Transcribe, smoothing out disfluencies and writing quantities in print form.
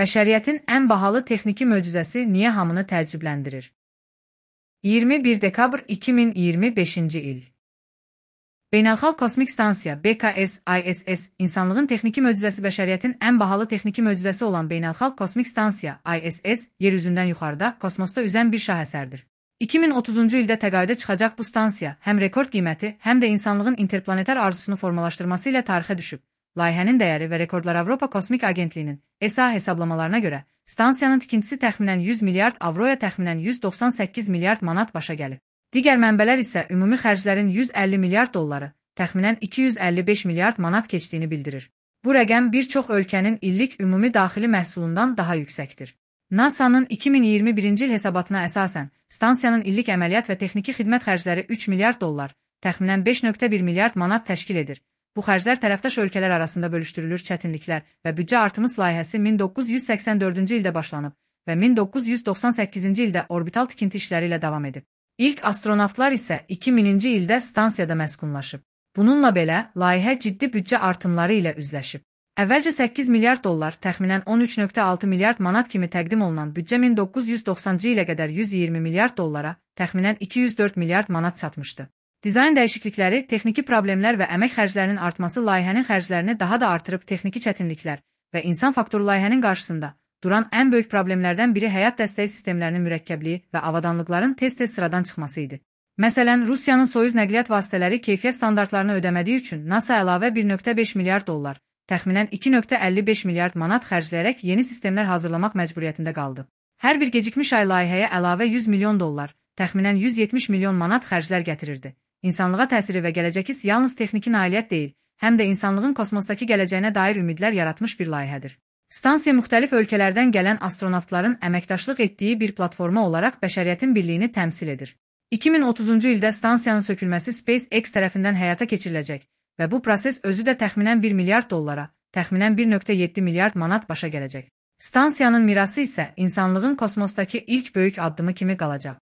Bəşəriyyətin ən bahalı texniki möcüzəsi niyə hamını təəccübləndirir? 21 dekabr 2025-ci il. Beynəlxalq Kosmik Stansiya (BKS, ISS) insanlığın texniki möcüzəsi bəşəriyyətin ən bahalı texniki möcüzəsi olan Beynəlxalq Kosmik Stansiya (ISS) yer üzündən yuxarıda, kosmosda üzən bir şahesərdir. 2030-cu ildə təqaüdə çıxacaq bu stansiya həm rekord qiyməti, həm də insanlığın interplanetar arzusunu formalaşdırması ilə tarixə düşüb. Layihənin dəyəri və rekordlar Avropa Kosmik Agentliyinin (ESA) hesablamalarına görə, stansiyanın tikintisi təxminən 100 milyard avroya təxminən 198 milyard manat başa gəlib. Digər mənbələr isə ümumi xərclərin 150 milyard dolları, təxminən 255 milyard manat keçdiyini bildirir. Bu rəqəm bir çox ölkənin illik ümumi daxili məhsulundan daha yüksəkdir. NASA-nın 2021-ci il hesabatına əsasən, stansiyanın illik əməliyyat və texniki xidmət xərcləri 3 milyard dollar, təxminən 5,1 milyard manat təşkil edir. Bu xərclər tərəfdaş ölkələr arasında bölüşdürülür, çətinliklər və büdcə artımı layihəsi 1984-cü ildə başlanıb və 1998-ci ildə orbital tikinti işləri ilə davam edib. İlk astronavtlar isə 2000-ci ildə stansiyada məskunlaşıb. Bununla belə, layihə ciddi büdcə artımları ilə üzləşib. Əvvəlcə 8 milyard dollar, təxminən 13,6 milyard manat kimi təqdim olunan büdcə 1990-cı ilə qədər 120 milyard dollara, təxminən 204 milyard manat çatmışdı. Dizayn dəyişiklikləri, texniki problemlər və əmək xərclərinin artması layihənin xərclərini daha da artırıb texniki çətinliklər və insan faktoru layihənin qarşısında duran ən böyük problemlərdən biri həyat dəstəyi sistemlərinin mürəkkəbliyi və avadanlıqların tez-tez sıradan çıxması idi. Məsələn, Rusiyanın Soyuz nəqliyyat vasitələri keyfiyyət standartlarını ödəmədiyi üçün NASA əlavə 1,5 milyard dollar, təxminən 2,55 milyard manat xərcləyərək yeni sistemlər hazırlamaq məcburiyyətində qaldı. Hər bir gecikmiş ay layihəyə əlavə 100 milyon dollar, təxminən 170 milyon manat xərclər gətirirdi. İnsanlığa təsiri və gələcəki yalnız texniki nailiyyət deyil, həm də insanlığın kosmosdakı gələcəyinə dair ümidlər yaratmış bir layihədir. Stansiya müxtəlif ölkələrdən gələn astronavtların əməkdaşlıq etdiyi bir platforma olaraq bəşəriyyətin birliyini təmsil edir. 2030-cu ildə stansiyanın sökülməsi SpaceX tərəfindən həyata keçiriləcək və bu proses özü də təxminən 1 milyard dollara, təxminən 1,7 milyard manat başa gələcək. Stansiyanın mirası isə insanlığın kosmosdakı ilk böyük addımı kimi qalacaq.